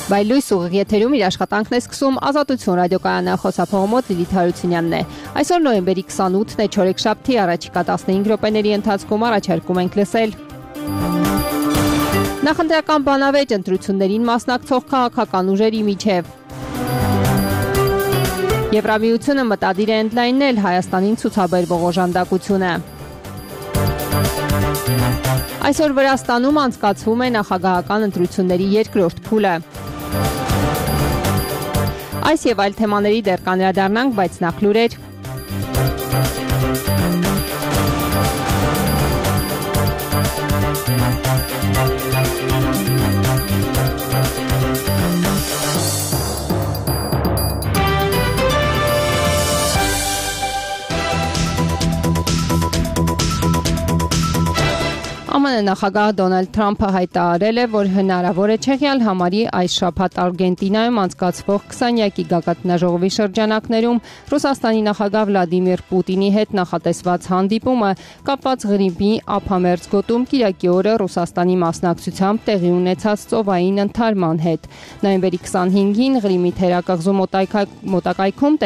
Բայլույս ուղիղ եթերում իր աշխատանքն է սկսում Ազատություն ռադիոկայանի խոսափողամոտ Լիլիթ Հարությունյանն է։ Այսօր նոյեմբերի 28-ն է, չորեքշաբթի, առաջիկա 15 րոպեների ընթացքում առաջարկում ենք լսել նախընտրական բանավեճ ընտրություններին մասնակցող քաղաքական ուժերի միջև։ Եվրամիությունը մտադիր է ընդլայնել Հայաստանին ցուցաբերվող օժանդակությունը։ Այսօր Վրաստանում անցկացվում է նախագահական ընտրությունների երկրորդ փուլը։ Այս եւ այլ թեմաների դեռ կանդրադառնանք, բայց նախ լուրեր։ ԱՄՆ նախագահ Դոնալդ Թրամփը հայտարարել է, որ հնարավոր է չեղյալ համարի այս շաբաթ Արգենտինայում անցկացվող 20-յակի գագաթնաժողովի շրջանակներում Ռուսաստանի նախագահ Վլադիմիր Պուտինի հետ նախատեսված հանդիպումը կապված Ղրիմի ափամերձ գոտում կիրակի օրը Ռուսաստանի մասնակցությամբ տեղի ունեցած ծովային ընդհարման հետ։ Նոյեմբերի 25-ին Ղրիմի թերակղզու մոտակայքում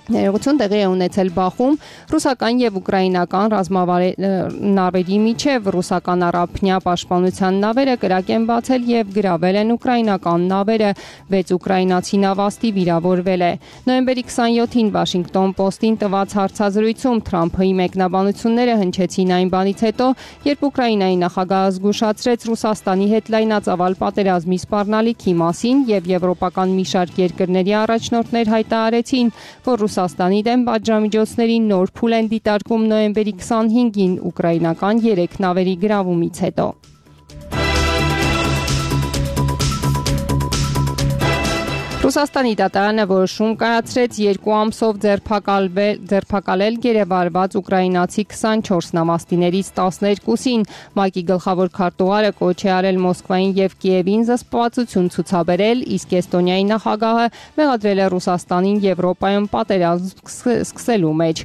ներողություն տեղի է ունեցել բախում ռուսական եւ ուկրաինական ռազմավարների միջև ռուսական առափնյա պաշտպանության նավերը կրակ են բացել եւ գրավել են ուկրաինական նավերը, 6 ուկրաինացի նավաստի վիրավորվել է։ Նոյեմբերի 27-ին Washington Post-ին տված հարցազրույցում Թրամփի մեկնաբանությունները հնչեցին այն բանից հետո, երբ Ուկրաինայի նախագահը զգուշացրեց Ռուսաստանի հետ լայնածավալ պատերազմի սպառնալիքի մասին եւ եվրոպական մի շարք երկրների առաջնորդներ հայտարարեցին, որ Ռուսաստանի դեմ պատժամիջոցների նոր փուլ են դիտարկում նոյեմբերի 25-ին ուկրաինական 3 նավերի գրավումից հետո։ Ռուսաստանի դատարանը որոշում կայացրեց 2 ամսով ձերբակալել գերեվարված ուկրաինացի 24 նավաստիներից 12-ին։ ՄԱԿ-ի գլխավոր քարտուղարը կոչ է արել Մոսկվային եւ Կիևին զսպվածություն ցուցաբերել, իսկ Էստոնիայի նախագահը մեղադրել է Ռուսաստանին Եվրոպայում պատերազմ սկսելու մեջ։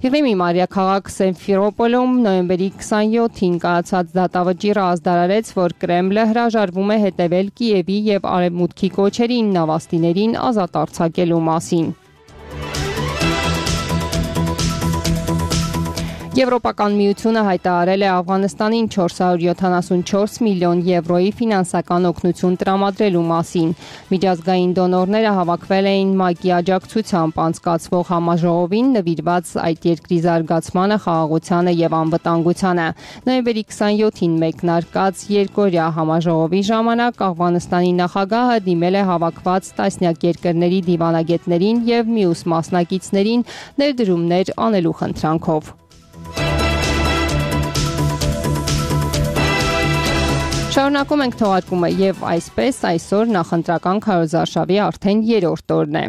Ղրիմի մայրաքաղաք Սիմֆերոպոլում նոյեմբերի 27-ին կայացած դատավճիռը ազդարարեց, որ Կրեմլը հրաժարվում է հետևել Կիևի եւ Արևմուտքի կոչերին նավաստիներին ազատ արձակելու մասին։ Եվրոպական միությունը հայտարարել է Աֆղանստանին 474 միլիոն եվրոյի ֆինանսական օգնություն տրամադրելու մասին։ Միջազգային դոնորները հավաքվել էին ՄԱԿ-ի աջակցությամբ անցկացվող համաժողովին նվիրված այդ երկրի զարգացմանը, խաղաղությանը եւ անվտանգությանը։ Նոյեմբերի 27-ին մեկնարկած երկօրյա համաժողովի ժամանակ Աֆղանստանի նախագահը դիմել է հավաքված տասնյակ երկրների դիվանագետներին եւ մյուս մասնակիցներին ներդրումներ անելու խնդրանքով։ Շարունակում ենք թողարկումը եւ այսպես այսօր նախընտրական քարոզարշավի արդեն 3-րդ օրն է։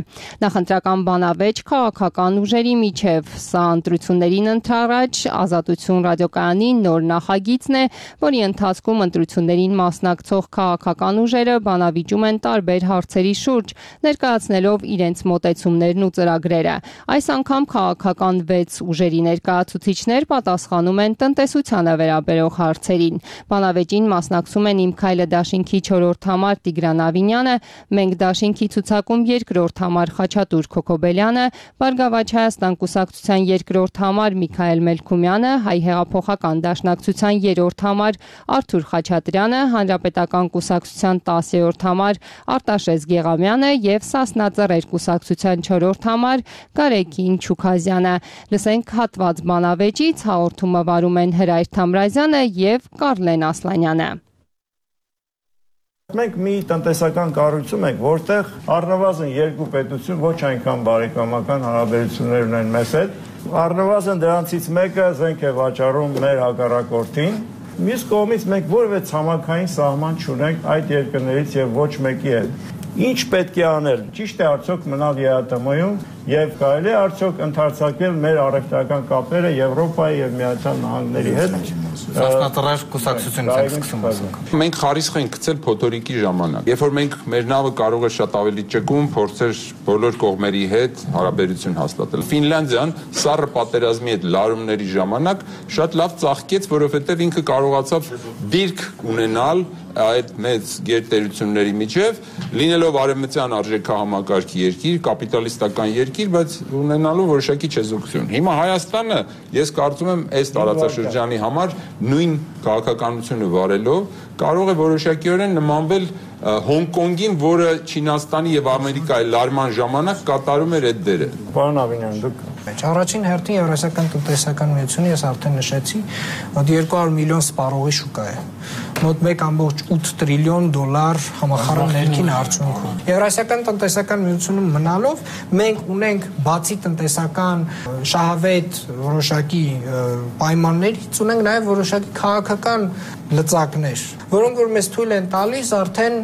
Նախընտրական բանավեճ քաղաքական ուժերի միջև սա ընտրություններին ընթരാճ Ազատություն ռադիոկայանի նոր նախագիծն է, որի ընթացքում ընտրություններին մասնակցող քաղաքական ուժերը բանավիճում են տարբեր հարցերի շուրջ, ներկայացնելով իրենց մոտեցումներն ու ծրագրերը։ Այս անգամ քաղաքական 6 ուժերի ներկայացուցիչներ պատասխանում են տնտեսությանը վերաբերող հարցերին։ Բանավեճին մասնակցում են Իմ քայլը դաշինքի 4-րդ համար Տիգրան Ավինյանը, Մենք դաշինքի ցուցակում 2-րդ համար Խաչատուր Քոքոբելյանը, Բարգավաճ Հայաստան կուսակցության 2-րդ համար Միքայել Մելքումյանը, Հայ հեղափոխական դաշնակցության 3-րդ համար Արթուր Խաչատրյանը, Հանրապետական կուսակցության 10-րդ համար Արտաշես Գեղամյանը եւ Սասնա Ծռեր կուսակցության 4-րդ համար Գարեգին Չուքազյանը։ Լսենք հատված բանավեճից, հաղորդումը վարում են Հրայր Թամրազյանը եւ Կարլեն Ասլանյանը։ Մենք մի տնտեսական կառույցում ենք, որտեղ առնվազն 2 պետություն ոչ այնքան բարեկամական հարաբերություններ ունեն մեզ հետ, առնվազն դրանցից մեկը զենք է վաճառում մեր հակառակորդին, մյուս կողմից մենք որևէ ցամաքային սահման չունենք այդ երկրներից եւ ոչ մեկի հետ։ Ինչ պետք է անել։ Ճիշտ է արդյոք մնալ ԵԱՏՄ-ում եւ կարելի է արդյոք ընդարձակել մեր առևտրական կապերը Եվրոպայի եւ Միացյալ Նահանգների հետ։ Սասնատրար կուսակցությունից ենք սկսում ասենք։ Մենք խարիսխ ենք գցել փոթորիկի ժամանակ։ Երբ որ մենք մեր նավը կարող է շատ ավելի ճկուն փորձեր բոլոր կողմերի հետ հարաբերություն հաստատել։ Ֆինլանդիան սառը պատերազմի հետ լարումների ժամանակ շատ լավ ծաղկեց, որովհետեւ ինքը կարողացավ դիրք ունենալ այդ մեծ գերտերությունների միջև, լինելով արևմտյան արժեքահամակարգի երկիր, կապիտալիստական երկիր, բայց ունենալու որոշակի չեզոքություն։ Հիմա Հայաստանը, ես կարծում եմ, այս տարածաշրջանի համար նույն քաղաքականությունը վարելով կարող է որոշակիորեն նմանվել Հոնկոնգին, որը Չինաստանի եւ Ամերիկայի լարման ժամանակ կատարում էր այդ դերը։ Պարոն Ավինյան, դուք Առաջին հերթին Եվրասիական տնտեսական միությունը ես արդեն նշեցի, մոտ 200 միլիոն սպառողի շուկա է։ Մոտ 1.8 տրիլիոն դոլար համախառն ներքին արդյունքում։ Եվրասիական տնտեսական միությունում մնալով մենք ունենք բացի տնտեսական շահավետ որոշակի պայմաններից ունենք նաև որոշակի քաղաքական լծակներ, որոնք որ մեզ թույլ են տալիս արդեն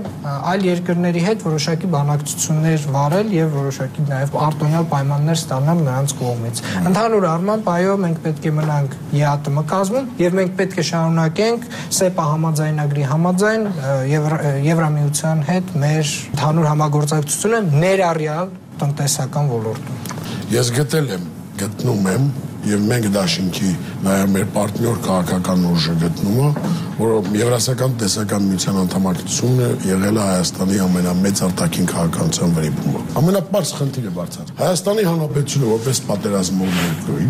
այլ երկրների հետ որոշակի բանակցություններ վարել եւ որոշակի նաև արտոնյալ պայմաններ ստանալ նրանց կողմից։ Ընդհանուր առմամբ, այո, մենք պետք է մնանք ԵԱՏՄ կազմում եւ մենք պետք է շարունակենք ՍԵՊԱ համաձայնագրի համաձայն Եվրամիության հետ մեր ընդհանուր համագործակցությունը ներառյալ տնտեսական ոլորտում։ Ես գտնում եմ եւ մենք դաշինքի նաեւ մեր պարտներ քաղաքական ուժը գտնում է, որ Եվրասիական տնտեսական միության անդամակցությունը եղել է Հայաստանի ամենամեծ արտաքին քաղաքականության վրիպումը։ Ամենապարզ խնդիրը բարձր։ Հայաստանի Հանրապետությունը որպես պատերազմող երկրի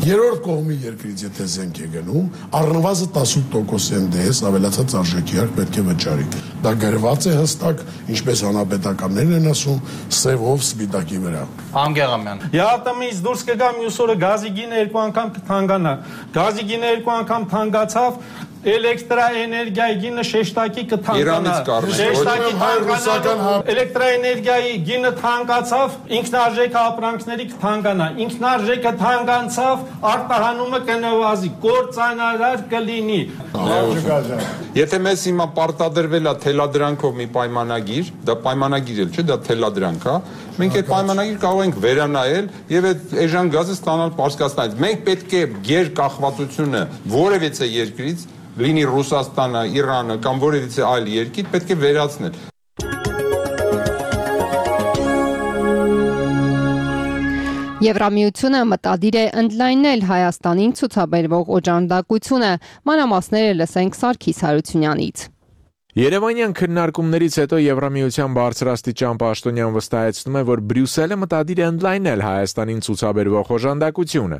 երրորդ կողմի երկրից եթե զենք է գնում, առնվազն 18% դես ավելացած արժեքի հարկ պետք է վճարի։ Դա գրված է հստակ, ինչպես հանրապետականներն են ասում, սևով սպիտակի վրա։ Անգեղամյան։ ԵԱՏՄ-ից դուրս կգա մյուս օրը գազի գինը 2 անգամ կթանկանա։ Գազի գինը 2 անգամ թանկացավ, էլեկտրաէներգիայի գինը շեշտակի կթանկանա։ Շեշտակի թանկանա, էլեկտրաէներգիայի գինը թանկացավ, ինքնարժեքը ապրանքների կթանկանա։ Ինքնարժեքը թանկացավ, արտահանումը կնվազի, կործանարար կլինի։ Եթե մեզ հիմա պարտադրվել է թելադրանքով մի պայմանագիր, դա պայմանագիր էլ չէ, դա թելադրանք է, մենք այդ պայմանագիր կարող ենք վերանայել եւ այդ էժան գազը ստանալ Պարսկաստանից։ Մենք պետք է գերկախվածությունը որևիցե երկրից, լինի Ռուսաստանը, Իրանը կամ որևիցե այլ երկիր, պետք է վերացնել։ Եվրամիությունը մտադիր է ընդլայնել Հայաստանին ցուցաբերվող օժանդակությունը, մանրամասները լսենք Սարգիս Հարությունյանից։ Երևանյան քննարկումներից հետո Եվրամիության բարձրաստիճան պաշտոնյան վստահեցնում է, որ Բրյուսելը մտադիր է ընդլայնել Հայաստանին ցուցաբերվող օժանդակությունը։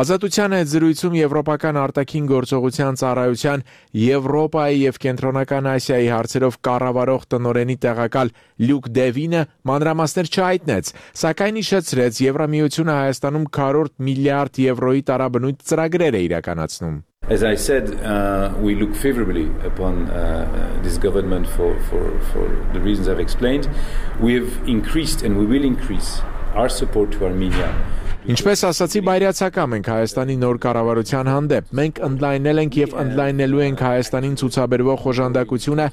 Ազատության հետ զրույցում Եվրոպական արտաքին գործողության ծառայության Եվրոպայի եւ Կենտրոնական Ասիայի հարցերով կառավարող տնօրենի տեղակալ Լյուկ Դևինը մանրամասներ չհայտնեց, սակայն իշխեցրեց Եվրամիությունը Հայաստանում 100 միլիարդ եվրոյի տարաբնույթ ծրագրեր է իրականացնում։ As I said, we look favorably upon this government for the reasons I've explained. We have increased and we will increase our support to Armenia. Ինչպես ասացի, բայրացակամ ենք Հայաստանի նոր կառավարության հանդեպ։ Մենք ընդլայնել ենք եւ ընդլայնելու ենք Հայաստանին ցուցաբերվող օժանդակությունը,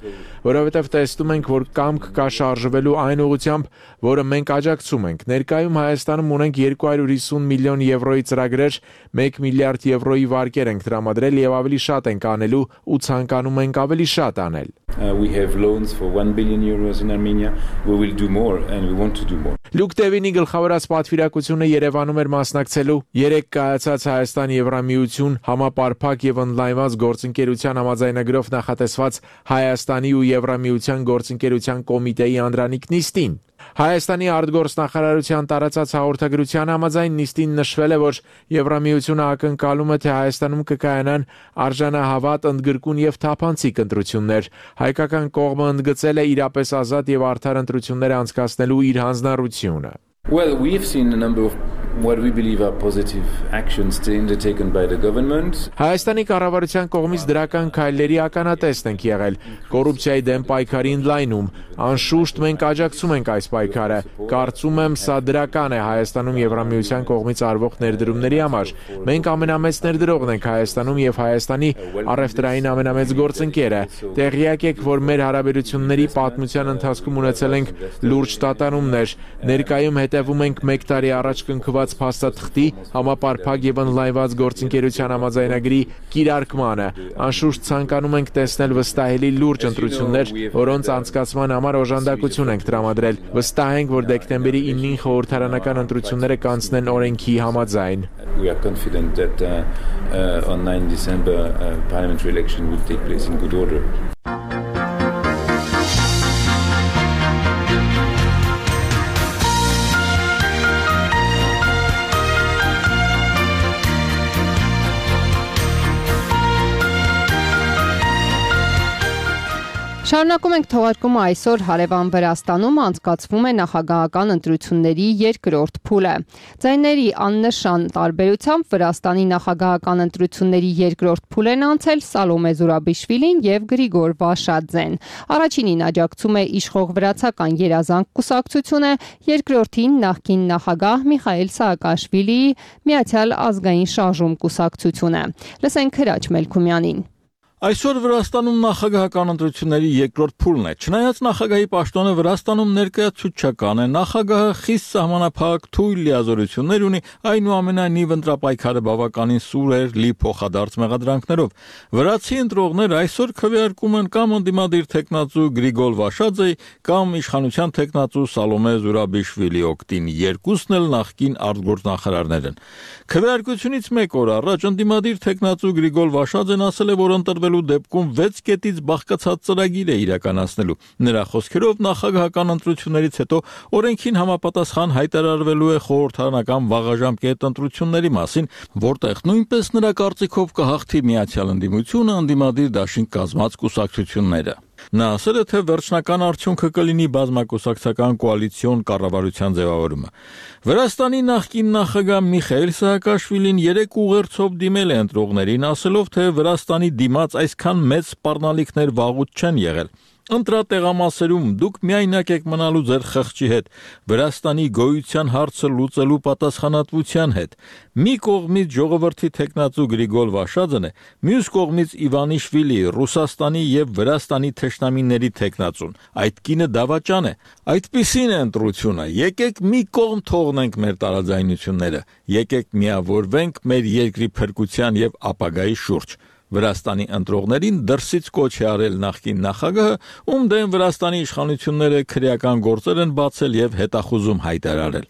որովհետեւ տեսնում ենք, որ կամք կա շարժվելու այն ուղղությամբ, որը մենք աջակցում ենք։ Ներկայում Հայաստանում ունենք 250 միլիոն եվրոյի ծրագրեր, 1 միլիարդ եվրոյի վարկեր ենք տրամադրել եւ ավելի շատ ենք անելու ու ցանկանում ենք ավելի շատ անել։ We have loans for 1 billion euros in Armenia. We will do more and we want to do more. Լյուկ Դևինի գլխավորած պատվիրակությունը Երևանում էր մասնակցելու 3 կայացած Հայաստան-Եվրամիություն համապարփակ եւ ընդլայնված գործընկերության համաձայնագրով նախատեսված Հայաստանի ու Եվրամիության գործընկերության կոմիտեի անդրանիկ նիստին։ Հայաստանի արտգործնախարարության տարածած հաղորդագրության համաձայն նիստին նշվել է, որ Եվրամիությունը ակնկալում է, թե Հայաստանում կկայանան արժանահավատ, ընդգրկուն եւ թափանցիկ ընտրություններ։ Հայկական կողմը ընդգծել է իրապես ազատ եւ արդար ընտրություններ անցկացնելու իր հանձնառությունը։ Well, we have seen a number of what we believe are positive actions undertaken by the government. Հայաստանի կառավարության կողմից դրական քայլերի ականատեսն ենք եղել։ Կոռուպցիայի դեմ պայքարի ընդլայնում, անշուշտ մենք աջակցում ենք այս պայքարը։ Կարծում եմ, սա դրական է Հայաստանում Եվրամիության կողմից արվող ներդրումների համար։ Մենք ամենամեծ ներդրողն ենք Հայաստանում եւ Հայաստանի առևտրային ամենամեծ գործընկերը։ Տեղյակ եք, որ մեր հարաբերությունների պատմության ընթացքում ունեցել ենք լուրջ տատանումներ։ Ներկայում հետևում ենք 1 տարի առաջ կնքված փաստաթղթի համապարփակ եւ ընդլայնված գործընկերության համաձայնագրի կիրարկմանը։ Անշուշտ ցանկանում ենք տեսնել վստահելի լուրջ ընտրություններ, որոնց անցկացման համար օժանդակություն ենք տրամադրել։ Վստահ ենք, որ դեկտեմբերի 9-ին խորհրդարանական ընտրությունները կանցնեն օրենքի համաձայն։ We are confident that on 9 December parliamentary election will take place in good order. Շարունակում ենք թողարկումը այսօր հարևան Վրաստանում անցկացվում է նախագահական ընտրությունների երկրորդ փուլը։ Ձայների աննշան տարբերությամբ Վրաստանի նախագահական ընտրությունների երկրորդ փուլ են անցել Սալոմե Զուրաբիշվիլին եւ Գրիգոր Վաշադզեն։ Առաջինին աջակցում է իշխող վրացական երազանք կուսակցությունը, երկրորդին նախկին նախագահ Միխայել Սաակաշվիլիի Միացյալ ազգային շարժում կուսակցությունը։ Լսենք Հրաչ Մելքումյանին։ Այսօր Վրաստանում նախագահական ընտրությունների երկրորդ փուլն է։ Չնայած նախագահի պաշտոնը Վրաստանում ներկայացուցչական է, նախագահը խիստ սահմանափակ թույլ լիազորություններ ունի, այնուամենայնիվ ընտրապայքարը բավականին սուր էր լի փոխադարձ մեղադրանքներով։ Վրացի ընտրողները այսօր քվեարկում են կամ ընդդիմադիր թեկնածու Գրիգոր Վաշադզեի կամ իշխանության թեկնածու Սալոմե Զուրաբիշվիլի օգտին, երկուսն էլ նախկին արտգործնախարարներ են։ Քվեարկությունից մեկ օր առաջ ընդդիմադիր թեկնածու Գրիգոր Վաշադզեն ասել է, որ ընտրվելու դեպքում 6 կետից բաղկացած ծրագիր է իրականացնելու։ Նրա խոսքերով նախագահական ընտրություններից հետո օրենքին համապատասխան հայտարարվելու է խորհրդարանական վաղաժամկետ ընտրությունների մասին, որտեղ նույնպես նրա կարծիքով կհաղթի Միացյալ ընդդիմությունը, ընդդիմադիր դաշինք կազմած կուսակցությունները։ Նա ասել է, թե վերջնական արդյունքը կլինի բազմակուսակցական կոալիցիոն կառավարության ձևավորումը։ Վրաստանի նախկին նախագահ Միխայել Սաակաշվիլին 3 ուղերձով դիմել է ընտրողներին, ասելով, թե Վրաստանի դիմաց այսքան մեծ սպառնալիքներ վաղուց չեն եղել։ Ընտրատեղամասերում դուք միայնակ եք մնալու ձեր խղճի հետ, Վրաստանի գոյության հարցը լուծելու պատասխանատվության հետ։ Մի կողմից ժողովրդի թեկնածու Գրիգոր Վաշադզեն է, մյուս կողմից Իվանիշվիլի, Ռուսաստանի եւ Վրաստանի թշնամիների թեկնածուն։ Այդ կինը դավաճան է։ Այդպիսին է ընտրությունը։ Եկեք մի կողմ թողնենք մեր տարաձայնությունները, եկեք միավորվենք մեր երկրի փրկության եւ ապագայի շուրջ։ Վրաստանի ընտրողներին դրսից կոչ է արել նախկին նախագահը, ում դեմ Վրաստանի իշխանությունները քրեական գործեր են բացել եւ հետախուզում հայտարարել։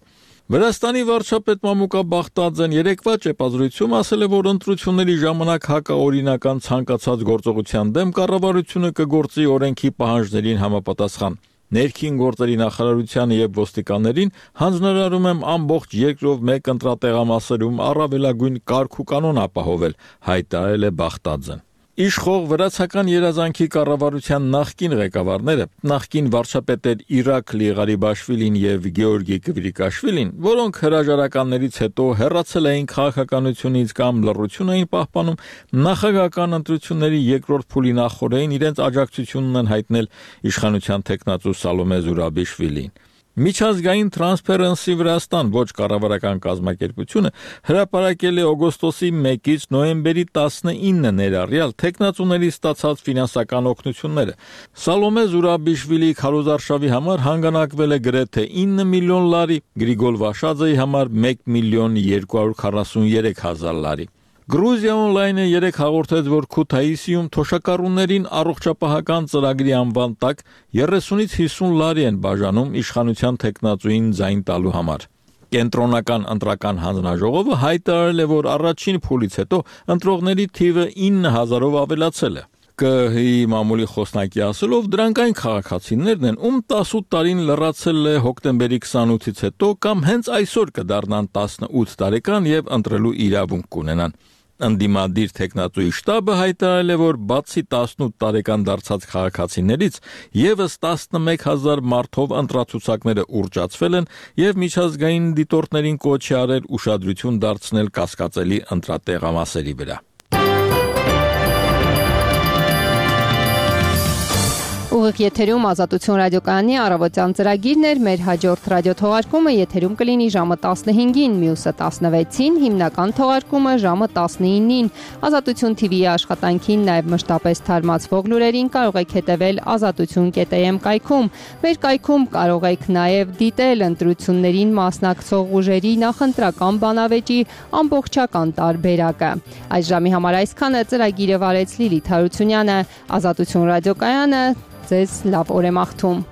Վրաստանի վարչապետ Մամուկա Բախտաձեն երեկվա ճեպազրույցում ասել է, որ ընտրությունների ժամանակ հակաօրինական ցանկացած գործողության դեմ կառավարությունը կգործի օրենքի պահանջներին համապատասխան։ Ներքին գործերի նախարարությանը եւ ոստիկաններին հանձնարարում եմ ամբողջ երկրով մեկ ընտրատեղամասերում առավելագույն կարգ ու կանոն ապահովել, հայտարարել է Բախտաձեն։ Իշխող վրացական երազանքի կառավարության նախկին ղեկավարները, նախկին վարչապետեր Իրաքլի Ղարիբաշվիլին եւ Գեորգի Կվիրիկաշվիլին, որոնք հրաժարականներից հետո հեռացել էին քաղաքականությունից կամ լռություն էին պահպանում, նախագահական ընտրությունների երկրորդ փուլի նախորդին իրենց աջակցությունն են հայտնել իշխանության թեկնածու Սալոմե Զուրաբիշվիլին։ Միջազգային Transparency Վրաստան ոչ կառավարական կազմակերպությունը հրապարակել է օգոստոսի 1-ից նոյեմբերի 19-ը ներառյալ թեկնածուների ստացած ֆինանսական օգնությունները։ Սալոմե Զուրաբիշվիլի քարոզարշավի համար հանգանակվել է գրեթե 9 միլիոն լարի, Գրիգոր Վաշադզեի համար 1 միլիոն 243 հազար լարի։ Գրուզիա օնլայնը 3 հաղորդեց, որ Քութայիսիում թոշակառուներին առողջապահական ծրագրի անվան տակ 30-ից 50 լարի են բաժանում իշխանության թեկնածուին ձայն տալու համար։ Կենտրոնական ընտրական հանձնաժողովը հայտարարել է, որ առաջին փուլից հետո ընտրողների թիվը 9000-ով ավելացել է։ ԿՀ-ի մամուլի խոսնակի ասելով, դրանք այն քաղաքացիներն են, ում 18 տարին լրացել է հոկտեմբերի 28-ից հետո կամ հենց այսօր կդառնան 18 տարեկան եւ ընտրելու իրավունք կունենան։ Ընդդիմադիր թեկնածուի շտաբը հայտարարել է, որ բացի 18 տարեկան դարձած քաղաքացիներից եւս 11000 մարդով ընտրացուցակները ուռճացվել են եւ միջազգային դիտորդներին կոչ է արել ուշադրություն դարձնել կասկածելի ընտրատեղամասերի վրա։ Ուղիղ եթերում Ազատություն ռադիոկայանի առավոտյան ծրագիրն էր, մեր հաջորդ ռադիոթողարկումը եթերում կլինի ժամը 15-ին, մյուսը 16-ին, հիմնական թողարկումը ժամը 19-ին։ Ազատություն TV-ի աշխատանքին նաև մշտապես թարմացվող լուրերին կարող եք հետևել azatutun.am կայքում։ Մեր կայքում կարող եք նաև դիտել ընտրություններին մասնակցող ուժերի նախընտրական բանավեճի ամբողջական տարբերակը։ Այս ժամի համար այսքանը, ծրագիրը վարեց Լիլիթ Հարությունյանը, Ազատություն ռադիոկայանը ձեզ լավ օր է մաղթում։